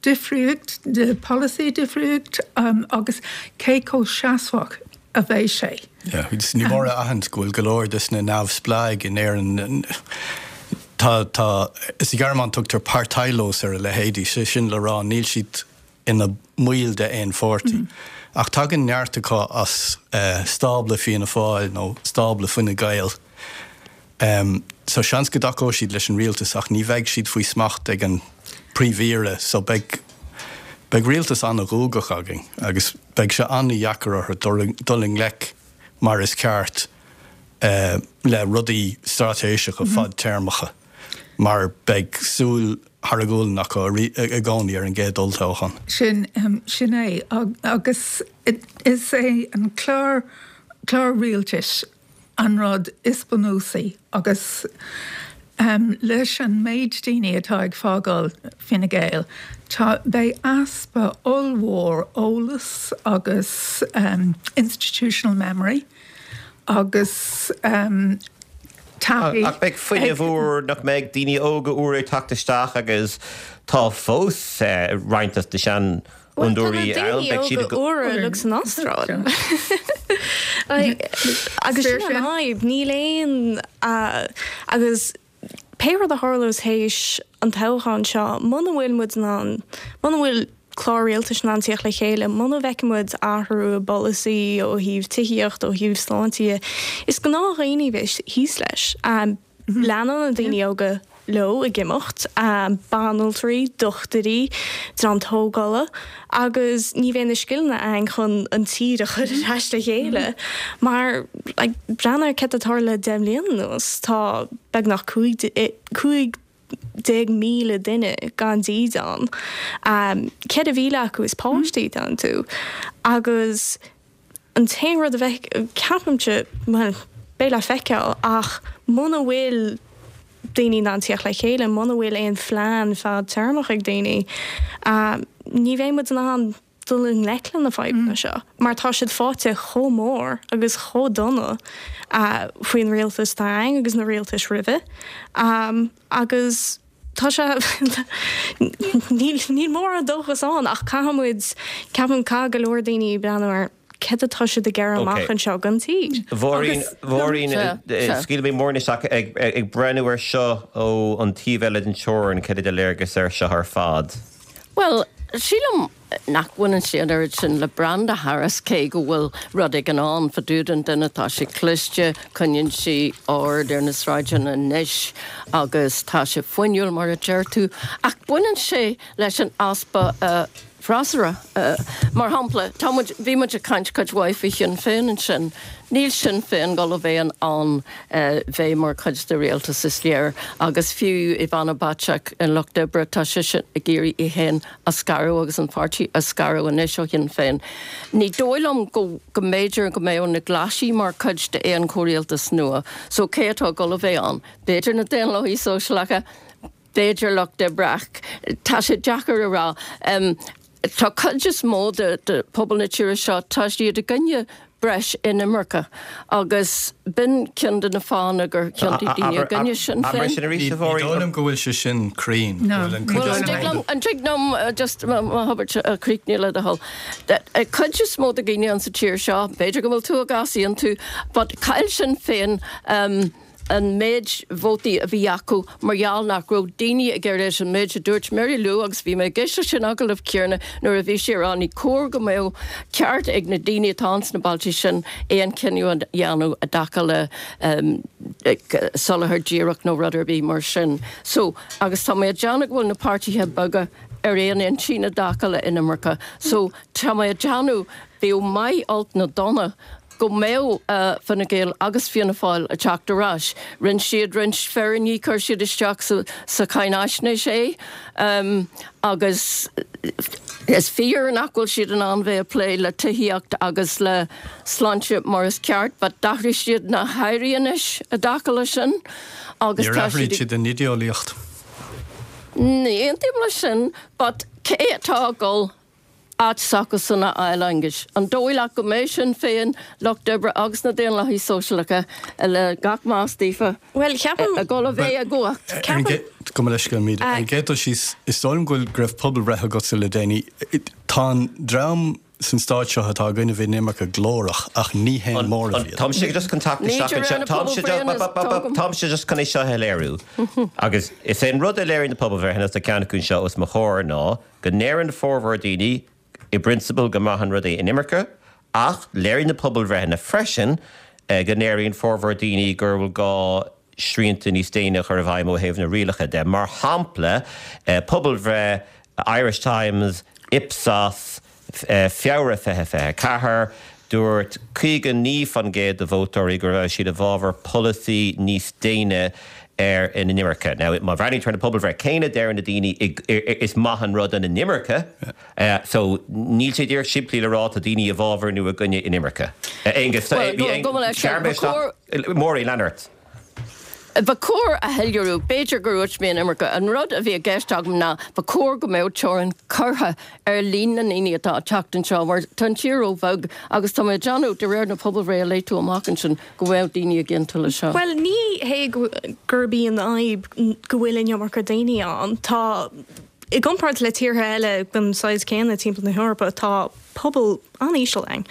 difríocht de polasaí difríocht um, agus cé chomh seasmhach a bheidh sé. Yeah, ní mór a aithint go bhfuil go leor des na neamhspleáigh in Éirinn tá tá is i Gearmáin tugtar parteilos ar a leithéidí sé sin le rá níl siad ina mbaill de aon pháirtí. Mm. Ach tagann neart acu as uh, stábla Fianna Fáil nó stábla Fine Gael. Um, so seans go dtacóidh siad leis an rialtas ach ní bheidh siad faoi smacht ag an príomh-aire so beidh beidh rialtas an-ghuagach againn agus beidh sé an-deacair orthu dul i ngleic mar is ceart uh, le rudaí straitéiseacha mm -hmm. fadtéarmacha mar beidh súil thar a gualainn acu i gcónaí ar an gcéad olltoghchán. Sin um, sin é agus is é an clár clár rialtais an rud is bunúsaí agus um, leis an méid daoine atá ag fágáil Fine Gael, Tá beidh easpa ollmhór eolas agus um, institutional memory agus um, Ach beidh fuinneamh úr nach mbeidh daoine óga úr ag teacht isteach agus tá fós eh, roinnt de seanfhondúirí ann úra le san Astráil. Agus sin an fhadhb níl aon agus pé rud a tharlós théis an toghchán seo muna bhfuil muid an muna bhfuil clár rialtais in ann tíocht le chéile, muna bhfeiceann muid athrú i bpolasaí ó thaobh tithíocht ó thaobh sláinte, is gnáthdhaoine a bheas thíos leis. Um, mhm. Leanann na daoine óga leo ag imeacht, um, banaltraí, dochtúirí, dream tógála, agus ní bheidh na scileanna ann chun an tír a chur ar ais le chéile. Mhm. Mar like, breathnaigh ar céard atá tarla le deich mbliana anuas, tá beagnach cúig déag míle duine gan dídean. Um, Ceithre mhíle acu is páistí atá iontu. Agus an t-aon rud a bheith ceapaimse well, beidh le feiceáil ach muna bhfuil daoine in ann tíocht le chéile, muna bhfuil aon phlean fadtéarmach ag daoine, um, ní bheidh muid in ann dul i ngleic le na fadhbanna mm. seo, mar tá siad faighte chomh mór agus chomh dona uh, faoin rialtas atá ann agus na rialtais roimhe. Um, agus tá sé níl mórán dóchas ann ach caithfimid ceapaim caithfidh go leor daoine breathnú ar céard atá siad ag iarraidh amach anseo don tír. Mháirín Mháirín scaoilfidh mé Máirín isteach ag ag breathnú ar seo ó an taobh eile den teorainn céard é do léargas ar seo ar fad. Well, sílim nach bhaineann sé an oiread sin le Brenda Harris cé go bhfuil rud éigin ann fá dtaobh den duine tá sé cliste, coinníonn sí ord ar na sráideanna anois agus tá sé fuinniúil mar a deir tú, ach baineann sé leis an easpa uh, freasúra. Uh, mar shampla tá bhí muid ag caint cuid mhaith faoi Shinn Féin ansin. Níl Sinn Féin ag gabháil a bheith in ann uh, bheith mar chuid de rialtas is léir agus fiú Ivana Bacik an Lucht Oibre tá sí sin ag iarraidh í féin a scaradh agus an pháirtí a scaradh anois ó Shinn Féin. Ní dóigh liom go go mb'fhéidir go mbeadh na Glasaigh mar chuid de aon chomhrialtas nua, so cé atá ag gabháil a bheith ann. B'fhéidir na Daonlathaigh Sóisialacha, b'fhéidir Lucht Oibre tá sé deacair a rá. Um, Tá cuid is mó de, de pobal na tíre seo tá siad i gcoinne breis inimirce agus b'in ceann de na fáthanna gur thiontaigh daoine i gcoinne Sinn Féin. Ní dóigh liom go bhfuil sé sin cruinn. An dtig liom just m'abairt a chríochnú le do thoil. Cuid is mó de dhaoine an sa tír seo, b'fhéidir go bhfuil tú ag easaontú, but chaill Sinn Féin um, an méid vótaí a bhí acu mar gheall nach raibh daoine ag iarraidh an méid a dúirt Mary Lou agus bhí mé ag éisteacht sin agallamh céanna nuair a bhí sí ag rá ní cóir go mbeadh ceart ag na daoine atá sna bailte sin aon chinneadh a dhéanamh i dtaca le um, soláthar díreach nó rud ar bith mar sin. So agus tá mé ag déanamh go bhfuil na páirtithe beaga ar aon intinn i dtaca le inimirce. So tá mé ag déanamh bíodh maith olc nó dona go mbeadh uh, Fine Gael agus Fianna Fáil ag teacht ar ais. Rinne siad roinnt fírinní chuir siad isteach sa, sa cháinaisnéis é um, agus is fíor nach bhfuil siad in ann bheith ag plé le tithíocht agus le sláinte mar is ceart, but d'athraigh siad na hairí anois i dtaca leis sin agus Níor athraigh siad an idéolaíocht. Ní aontaím leis sin, but cé atá ag dul áit s'acusan a fháil, Aengus? An dóigh leat go mbeidh Sinn Féin, Lucht Oibre agus na Daonlathaigh Sóisialacha, le gach meas daofa, Bhuel, ceapaim. ag dul a bheith i gcumhacht? Ceapaim. Gabh mo leithscéal, Míde. Ar an gcéad dul síos, is dóigh liom go bhfuil, go raibh pobalbhreith agatsa le déanaí. Tá an dream san stát seo atá i gcoinne inimirce glórach ach ní haon móramh iad. Táimse just chun teacht Ní isteach de réir anseo. na Táimse pobalbhreitheanna is tógaim. Táimse just chun é seo a léiriú. Agus is é an rud a léiríonn na pobalbhreitheanna tá ceann acu anseo os mo chomhair ná go ndeireann formhór daoine i bprionsabal go maith an rud é inimirce, ach léiríonn na pobalbhreitheanna freisin go ndeireann formhór daoine gur bhfuil gá srianta níos déine a chur i bhfeidhm ó thaobh na rialacha de. Mar shampla, pobalbhreith Irish Times, Ipsos, Feabhra fiche fiche ceathair, dúirt caoga naoi faoin gcéad de vótóirí go raibh siad i bhfabhar polasaí níos déine ar an inimirce. Now, má bhreathnaítear ar na pobalbhreith céanna, deireann na daoine is maith an rud an inimirce, so níl sé díreach simplí le rá tá daoine i bhfabhar nó i gcoinne inimirce. Aengus, Máirín, lean ort. Ba chóir a shoiléiriú, b'fhéidir gur dhúirt mé an iomarca, an rud a bhí i gceist agam ná ba chóir go mbeadh teorainn curtha ar líon na ndaoine atá ag teacht anseo mar tá an tír róbheag agus tá mé ag déanamh, de réir na pobalbhreithe a léigh tú amach ansin, go bhfuil daoine ag aontú leis seo. Bhuel, ní hé gurb í an fhadhb go bhfuil an iomarca daoine ann. Tá, i gcomparáid le tíortha eile den saghas céanna timpeall na hEorpa, tá pobal an-íseal ann.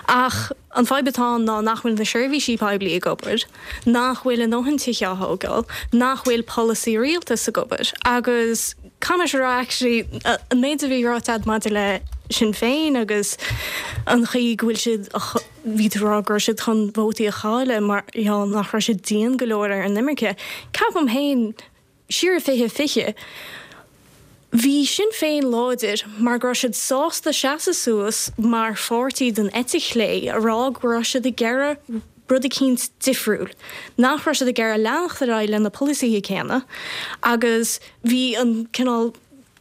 Ach an fadhb atá ann ná nach bhfuil na seirbhísí poiblí ag obair, nach bhfuil a ndóthain tithe á thógáil, nach bhfuil polasaí rialtais ag obair. Agus caithfidh mé a rá actually an méid a bhí ráite agat maidir le Sinn Féin agus an chaoi go bhfuil siad, bhí tú ag rá go raibh siad chun vótaí a chailleadh mar gheall nach raibh siad dian go leor ar an imirce. Ceapaim féin, siar i fiche fiche, Bhí Sinn Féin láidir mar go raibh siad sásta seasamh suas mar pháirtí den eite chlé a rá go raibh siad ag iarraidh rud eicínt difriúil, nach raibh siad ag iarraidh leanacht ar aghaidh le na polasaithe céanna agus bhí an cineál,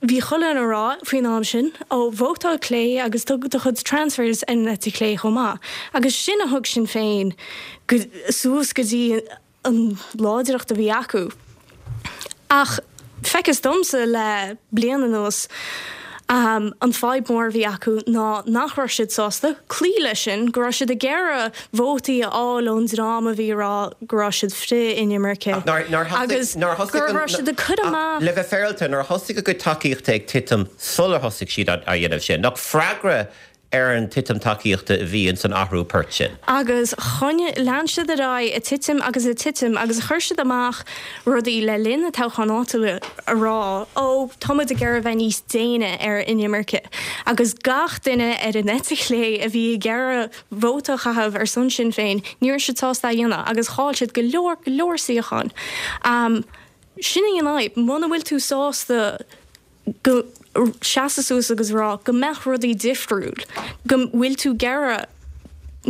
bhí chuile dhuine a rá faoin am sin, ó, vótáil clé agus tug do chuid transfers ar an eite chlé chomh maith agus sin a thug Sinn Féin go, suas go dtí an láidreacht a bhí acu. Ach feictear domsa le bliain anuas, an fadhb mór a bhí acu ná nach raibh siad sásta cloí leis sin, go raibh siad ag iarraidh vótaí a fháil ón dream a bhí ag rá go raibh siad frith-inimirce agus go raibh siad ag cur amach. Le bheith féaráilte, nuair a thosaigh a gcuid tacaíochta ag titim sular thosaigh siad á dhéanamh sin, nach freagra ar an titim tacaíochta a bhí ins an athrú poirt sin. Agus choinnigh, lean siad ar aghaidh ag titim agus ag titim agus chuir siad amach rudaí le linn na toghcháin áitiúla a rá, ó, tá muid ag iarraidh a bheith níos déine ar inimirce. Agus gach duine ar an eite chlé a bhí ag iarraidh vóta a chaitheamh ar son Sinn Féin, ní raibh siad sásta é a dhéanamh agus chaill siad go leor, go leor suíochán. Sin í an fhadhb, muna bhfuil tú sásta go seasamh suas agus rá go mbeadh rudaí difriúil, go bhfuil tú ag iarraidh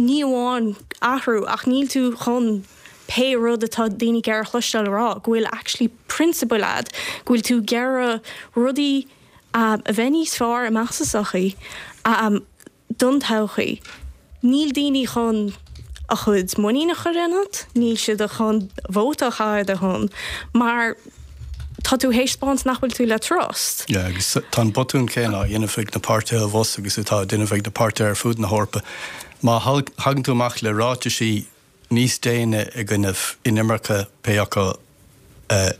ní amháin athrú ach níl tú chun pé rud atá daoine ag iarraidh a chloisteáil a rá, go bhfuil actually prionsabail a'd, go bhfuil tú ag iarraidh rudaí a bheith níos fearr amach sa sochaí. Don todhchaí. Níl daoine chun a chuid muinín a chur ionat, níl siad chun vóta a chaitheamh ar do shon, mar tá tú théis spáint nach bhfuil tú le trust. Yeah, agus tá an botún céanna á dhéanamh ag na páirtithe abhus agus atá á déanamh ag na páirtithe ar fud na hEorpa. Má thagann tú amach le ráitisí níos déine i gcoinnibh inimirce, pé acu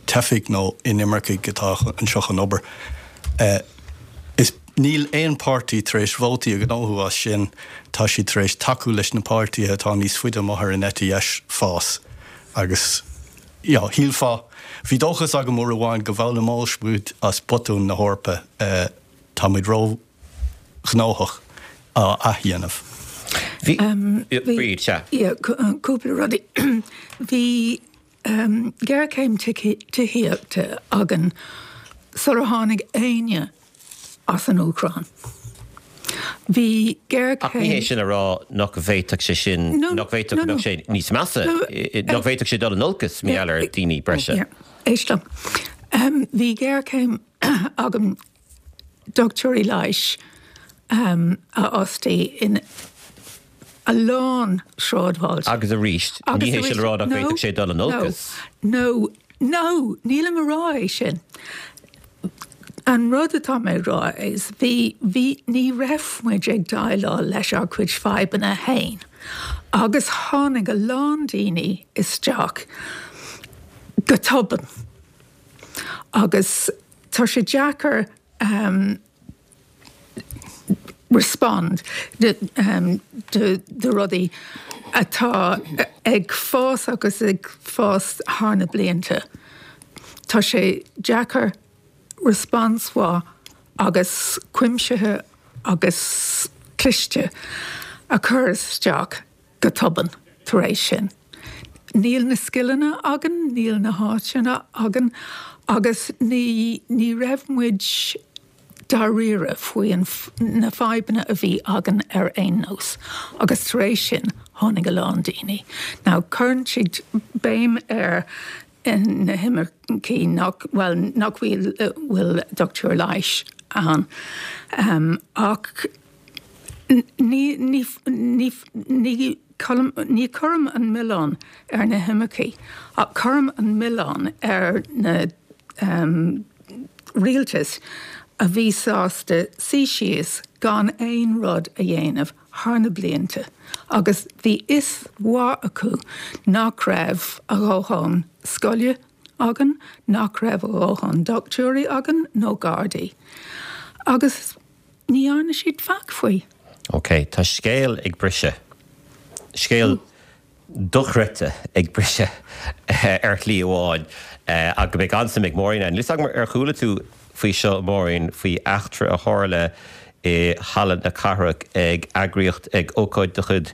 teifigh nó inimircigh atá anseo chun obair. Is níl aon páirtí tar éis vótaí a ghnóthú as sin, tá siad tar éis tacú leis na páirtithe atá níos faide amuigh ar an eite dheis fás agus you know, shílfeá, bhí dóchas agam uair amháin go bhfoghlaimeodh muid as botúin na hEorpa, tá muid ró-ghnóthach á athdhéanamh. Bhí, Bríd, sea. Yeah, cúpla rudaí. Bhí géarchéim tithíochta againn sular tháinig éinne as an Úcráin. Bhí géarchéim. Ach ní hé sin a rá nach bhféadfadh sé sin, nach bhféadfadh go mbeadh sé níos measa, nach bhféadfadh sé dul in olcas mar gheall ar daoine breise. Éist liom. Bhí géarchéim againn dochtúirí leighis a fhostú in a lán sráidbhailte. Agus arís, ní hé sin a rá nach bhféadfadh sé dul in olcas. No, no, nílim a rá é sin. An rud atá mé rá is bhí bhí ní raibh muid ag déileáil leis ár gcuid fadhbanna féin. Agus tháinig a lán daoine isteach go tobann. Agus tá sé deacair um, respond de, um, de, de rudaí atá ag fás agus ag fás thar na blianta. Tá sé deacair response mhaith agus cuimsithe agus cliste a chur isteach go tobann tar éis sin. Níl na scileanna againn, níl na háiseanna againn, agus ní, ní raibh muid dáiríre faoi na fadhbanna a bhí againn ar aon nós. Agus tar éis sin tháinig a lán daoine. Now cuireann siad béim ar na himircigh nach well nach bhfuil bhfuil dochtúir leighis ann. Um, ach ní ní ní ní ní chuirim an milleán ar na himircigh, ach cuirim an milleán ar na um, rialtas a bhí sásta suí síos gan aon rud a dhéanamh thar na blianta, agus bhí fhios mhaith acu nach raibh a dhóthain scoile againn, nach raibh a dhóthain dochtúirí againn nó gardaí. Agus ní dhearna siad faic faoi. Ok, tá scéal ag briseadh. Scéal dochreidte ag briseadh ar shlí amháin ach go mbeidh an-suim ag Maureen ann. Níl a fhios agam ar chuala tú faoi seo Maureen faoi eachtra a tharla i Halla na Cathrach ag eagraíocht ag ócáid de chuid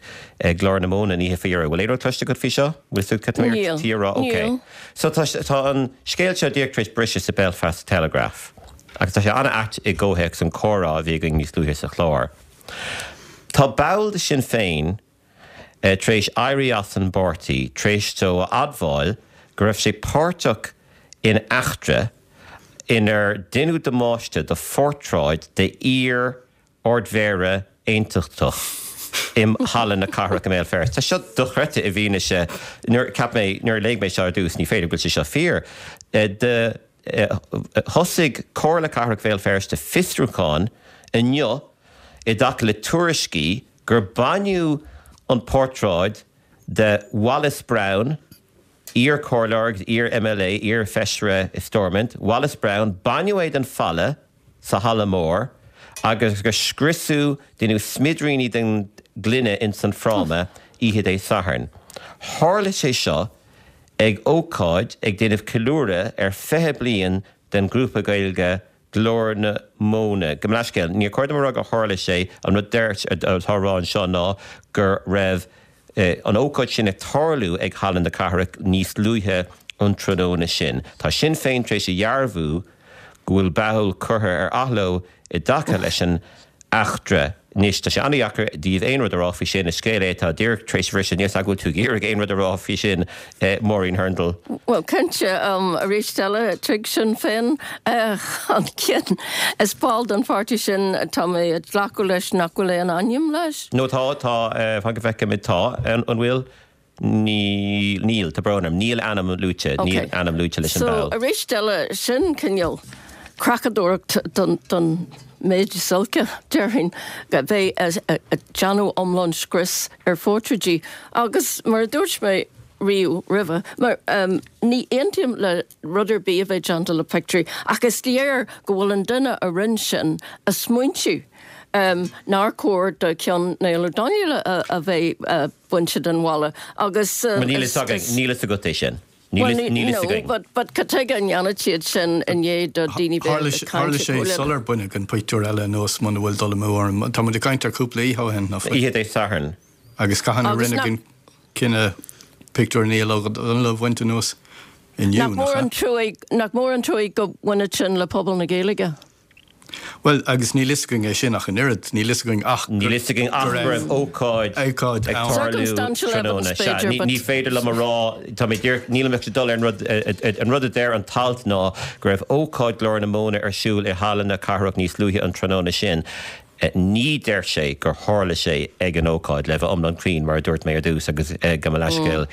Glór na Móna an oíche faoi dheireadh. Bhfuil aon rud cloiste agat faoi seo? Bhfuil tú cad Níl. tí rá? Ok. Níl. So tá tá an scéal seo díreach tar éis briseadh sa Belfast Telegraph. Agus tá sé an-ait i gcomhthéacs an comhrá a bhí againn níos luaithe sa chlár. Tá ball de Sinn Féin eh, tar éis éirí as an bpáirtí, tar éis dó a admháil go raibh sé páirteach in eachtra inar deineadh damáiste do phortráid de iar Ardmhéara aontachtach im Halla na Cathrach i mBéal Feirste. Tá seo dochreidte i bhfianaise nuair cheap mé nuair a léigh mé seo ar dtús ní féidir go bhfuil sé seo fíor. Eh, de eh, thosaigh Comhairle Cathrach Bhéal Feirste fiosrúchán inniu i dtaca le tuairiscí gur baineadh an portráid de Wallace Brown, iar-chomhairleoir, iar-MLA, iar-fheisire i Stormont, Wallace Brown, baineadh é den falla sa halla mór agus gur scriosadh deineadh smidiríní den gloine in san fráma oíche Dé Sathairn. Tharla sé seo ag ócáid ag déanamh ceiliúradh ar fiche bliain den grúpa Gaeilge Glór na Móna. Go leiscéil, níor chóir dom a rá gur tharla sé an rud deirt atá rá anseo ná gur raibh eh, an ócáid sin ag tarlú ag Halla na Cathrach níos luaithe an tráthnóna sin. Tá Sinn Féin tar éis a dhearbhú go bhfuil ball curtha ar athló i dtaca leis an eachtra. Anois tá sé an-deacair daoibh aon rud a rá faoi sin is scéal é atá díreach tar éis briseadh níos go bhfuil tú ag iarraidh aon rud a rá faoi sin eh, Maureen Hurndall. Well cinnte um, arís eile tuig Sinn Féin uh, an cin is ball den pháirtí sin tá mé ag glacadh leis nach bhfuil aon ainm leis. No tá tá uh, fan go bhfeice mé tá an an bhfuil ní níl tá brón orm níl ainm luaite níl ainm luaite leis an So ball. arís eile sin cineál creachadóireacht don don méid is olca déarfainn go bheith ag déanamh iomlán scrios ar phortráidí agus mar a dúirt mé riamh roimhe mar um, ní aontaím le rud ar bith a bheith déanta le pictiúirí ach is léir go bhfuil an duine a rinne sin ag smaointiú. Um, nár chóir do cheann Niall Ó Donnghaile a, a bheith uh, bainte den bhalla agus uh, Níl is- is- níl a fhios agat é sin. Well, Níl níl no, againn. but but cad chuige a ndéanann siad sin i ndiaidh do daoine Tharla sé sular baineadh an pictiúr eile anuas muna bhfuil dul amú orm. Tá muid ag caint ar cúpla oíche ó shin nach bhfuil. Oíche Dé Sathairn. Agus cathain a Agus rinne nach- an cinneadh pictiúr Niall Ó Donnghaile a bhaint anuas inniu Nach mór an trua nach mór an trua go bhfuil sin le pobal na Gaeilge. Well agus níl a fhios againn é sin ach an oiread, níl a fhios againn ach Níl a fhios againn ach go raibh ócáid Ócáid ag ann. tarlú Circumstantial tráthnóna. evidence Sea, b'fhéidir, ní- but- Ní féidir liom a rá tá mé díreach- níl mé dul ar an rud eh, eh, an rud a deir an t-alt ná go raibh ócáid Glór na Móna ar siúl i Halla na Cathrach níos luaithe an tráthnóna sin. Ní deir sé gur tharla sé ag an ócáid le bheith iomlán cruinn mar a dúirt mé ar dtús agus gabh mo leithscéal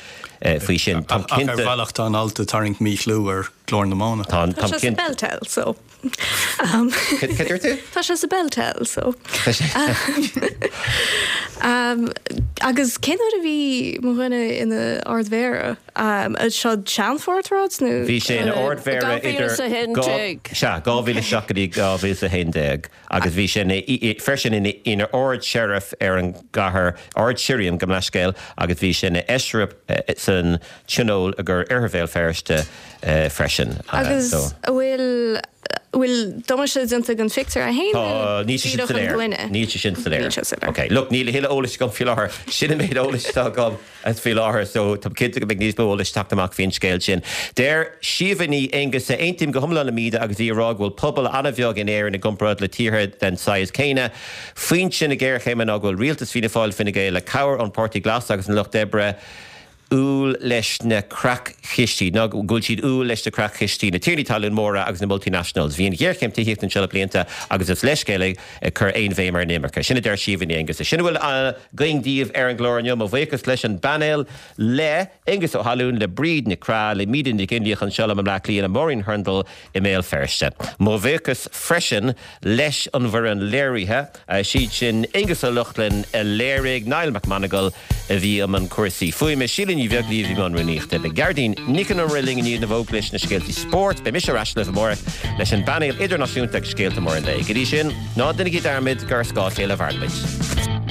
faoi sin. Tá cinnte. Ach ar bhealach tá an alt ag tarraingt míchlú ar Ghlór na Móna. Tá Tá sé sa BelTel so. Cad dúirt tú? Tá sé sa BelTel so. Agus cén uair a bhí mo dhuine ina Ard-Mhéara? Seo seanphortráid nó? Bhí sé ina Ard-Mhéara idir sea, dhá mhíle a seacht go dtí dhá mhíle is a haon déag agus bhí sé freisin ina Ard-Sheriff ar an gcathair, Ard-Shirriam, gabh mo leithscéal, agus bhí sé ina fheisire san Tionól i gCor Oirthear Bhéal Feirste freisin. Agus an bhfuil bhfuil damáiste déanta ag an phictiúr é féin nó Tá, níl sé sin díreach an soiléir. dhuine? Níl sé sin soiléir. Níl sé soiléir. Ok, look, níl a thuilleadh eolais agam faoi láthair. Sin an méid eolais atá agam faoi láthair, so táim cinnte go mbeidh níos mó eolais ag teacht amach faoin scéal sin. Deir Síomha Ní Aonghusa, Aontaím go hiomlán le Míde agus í ag rá go bhfuil pobal an-bheag in Éirinn i gcomparáid le tíortha den saghas céanna. Foinse na géarchéime ná go bhfuil rialtas Fianna Fáil Fine Gael le cabhair ón Páirtí Glas agus an Lucht Oibre umhal leis na creach-chistí, ná go bhfuil siad umhal leis na creach-chistí, na tiarnaí talún móra agus na multinationals. Bhí an ghéarchéim tithíochta anseo le blianta agus is leithscéal é ag cur aon bhéim ar an imirce. Sin a deir Síomha Ní Aonghusa. Sin a bhfuil againn daoibh ar an gclár inniu. Mo bhuíochas leis an bpainéal, le Aengus Ó hAlúin, le Bríd Nic Craith, le Míde Nic Fhionnlaoich anseo liom i mBleá Cliath, le Máirín Hurndall i mBéal Feirste. Mo bhuíochas freisin leis an bhfoireann léirithe, siad sin Aengus Ó Lochlainn a léirigh, Niall McMonagle a bhí i mbun cúrsaí fuaime, Síle Ní Bheaglaoí a bhí i mbun rúnaíochta. Beidh Gearóidín Nic an Iomaire linn i ndiaidh na bhfógraí leis na scéaltaí spóirt. Beidh mise ar ais libh amárach leis an bpainéal idirnáisiúnta agus scéalta móra an lae. Go dtí sin, ná déanaigí dearmad gur ar scáth a chéile a mhairimid.